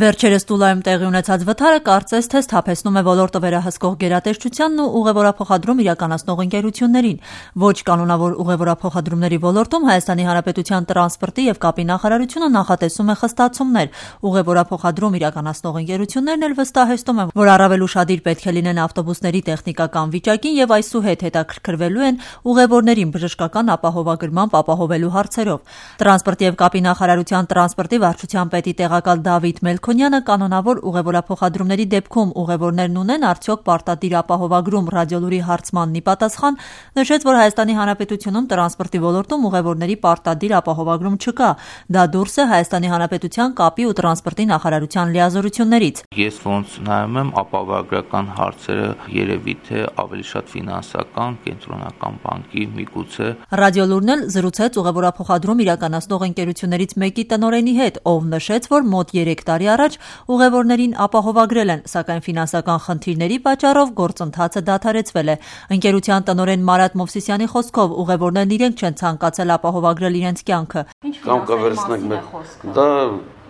Վերջերս Տուլայում տեղի ունեցած վթարը կարծես թե սթափեցնում է ոլորտը վերահսկող գերատեսչությանն ու ուղևորափոխադրում իրականացնող ընկերություններին։ Ոչ կանոնավոր ուղևորափոխադրումների ոլորտում Հայաստանի Հանրապետության տրանսպորտի եւ կապի նախարարությունը նախատեսում է խստացումներ։ Ուղևորափոխադրում իրականացնող ընկերություններն էլ վստահեցնում են, որ առավել ուշադիր պետք է լինեն ավտոբուսների տեխնիկական վիճակին եւ այսուհետ հետաքրքրվելու են ուղևորներին բժշկական ապահովագրմամբ ապահովելու հարցերով։ Տրանսպորտի եւ կապի նախարարության տրանսպորտի վարչության պետի տեղակալ Դավիթ Մելքոնյանը կանոնավոր ուղևորափոխադրումների դեպքում ուղևորներն ունեն արդյոք պարտադիր ապահովագրում ռադիոլուրի հարցմանն ի պատասխան նշեց, որ Հայաստանի Հանրապետությունում տրանսպորտի ոլորտում ուղևորների պարտադիր ապահովագրում չկա։ Դա դուրս է Հայաստանի Հանրապետության կապի ու տրանսպորտի նախարարության լիազորություններից։ Ես ոնց նայում եմ ապահովագրական հարցերը երևի թե ավելի շատ ֆինանսական, կենտրոնական բանկի միգուցե։ Ռադիոլուրն էլ զրուցեց ուղևորափոխադրում իրականացնող ընկերություններից մեկի տնօրենի հետ, ով նշեց, որ մոտ 3 տարի առաջ ուղևորներին ապահովագրել են, սակայն ֆինանսական խնդիրների պատճառով գործընթացը դադարեցվել է։ Ընկերության տնօրեն Մարատ Մովսիսյանի խոսքով ուղևորներն իրենք չեն ցանկացել ապահովագրել իրենց կյանքը։ Կամ կվերցնենք դա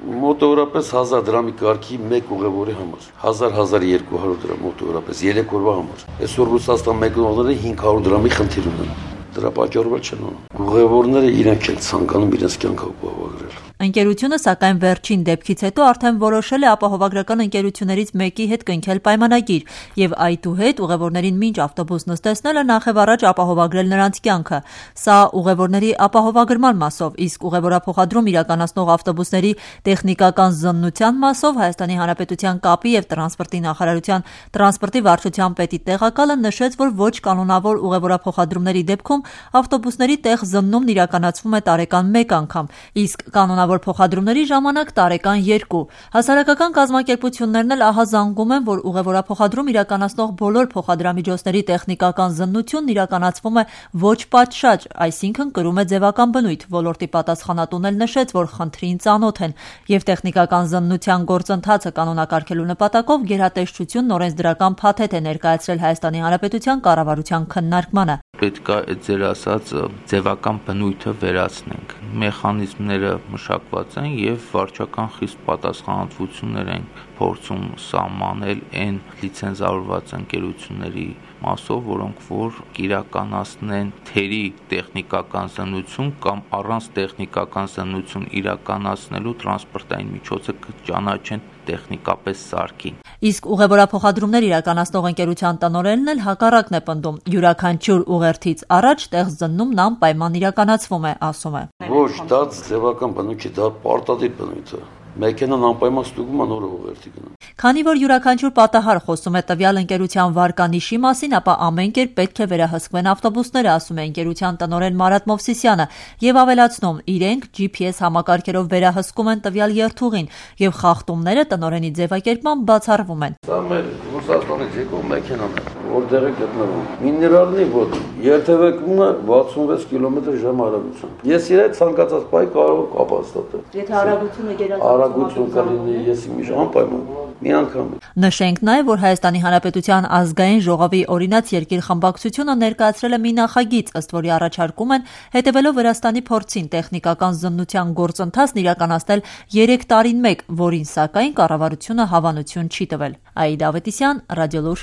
մոտավորապես 1000 դրամի կարգի մեկ ուղևորի համար 1000-1200 դրամ մոտավորապես 3 օրվա համար։ Այսօր Ռուսաստան մեկնողները 500 դրամի խնդիր ունեն։ Դրա պատճառով չեն ունում։ Ուղևորները իրենք են ցանկանում իրենց կյանքը ապահովագրել։ Ընկերությունը սակայն վերջին դեպքից հետո արդեն որոշել է ապահովագրական ընկերություններից մեկի հետ կնքել պայմանագիր եւ այդուհետ ուղևորներին մինչ ավտոբուս նստեցնելը նախևառաջ ապահովագրել նրանց կյանքը։ Սա ուղևորների ապահովագրման մասով, իսկ ուղևորափոխադրում իրականացնող ավտոբուսների տեխնիկական զննության մասով Հայաստանի Հանրապետության կապի եւ տրանսպորտի նախարարության տրանսպորտի վարչության պետի տեղակալը նշեց, որ ոչ կանոնավոր ուղևորափոխադրումների դեպքում ավտոբուսների տեղ զննումն իրականացվում է տարեկան 1 անգամ, իսկ կանոնավոր փոխադրումների ժամանակ տարեկան 2։ Հասարակական կազմակերպություններն էլ ահազանգում են, որ ուղևորափոխադրում իրականացնող բոլոր փոխադրամիջոցների տեխնիկական զննությունն իրականացվում է ոչ պատշաճ, այսինքն կրում է ձևական բնույթ։ Ոլորտի պատասխանատուն էլ նշեց, որ խնդրին ծանոթ են եւ տեխնիկական զննության գործընթացը կանոնակարգելու նպատակով գերատեսչությունն օրենսդրական փաթեթ է ներկայացրել Հայաստանի Հանրապետության կառավարության քննարկմանը։ Պետք է ձեր ասած ձևական բնույթը վերացնենք։ Մեխանիզմները մշակված են եւ վարչական խիստ պատասխանատվություններ են փորձում սահմանել այն լիցենզավորված ընկերությունների մասով, որոնք որ իրականացնեն թերի տեխնիկական զննություն կամ առանց տեխնիկական զննություն իրականացնելու տրանսպորտային միջոցը կճանաչեն տեխնիկապես սարքին։ Իսկ ուղևորափոխադրումներ իրականացնող ընկերության տնօրենն էլ հակառակն է պնդում։ Յուրաքանչյուր ուղերձից առաջ տեղ զննումն անպայման իրականացվում է, ասում է։ Ոչ, դա ձևական բնույթ չէ, դա պարտադիր բնույթ է։ Մեքենան անպայման ստուգում է նոր ուղերձի գնում։ Քանի որ յուրաքանչյուր պատահար խոսում է տվյալ ընկերության վարկանիշի մասին, ապա ամեն կերպ պետք է վերահսկվեն ավտոբուսները, ասում է ընկերության տնօրեն Մարատ Մովսիսյանը եւ ավելացնում, իրենք GPS համակարգերով վերահսկում են տվյալ երթուղին եւ խախտումները տնօրենի ձևակերպման բացառվում են։ Սա մեր Ռուսաստանից եկող մեքենան է, որտեղ է գտնվում։ Միներալնի ոտ երթևեկումը 66 կմ/ժ արագությամբ։ Ես իրեն ցանկացած բայ կարող եմ կապաստատել։ Եթե արագությունը գերազանց արագություն կլինի, ես իմիշ անպայման մի անգամ։ Նշենք նաև, որ Հայաստանի Հանրապետության ազգային ժողովի օրինաց երկիր խմբակցությունը ներկայացրել է մի նախագիծ, ըստ որի առաջարկում են հետևելով Վրաստանի փորձին տեխնիկական զննության գործընթացն իրականացնել 3 տարին մեկ, որին սակայն կառավարությունը հավանություն չի տվել։ Աիդա Ավետիսյան, Ռադիոլուր։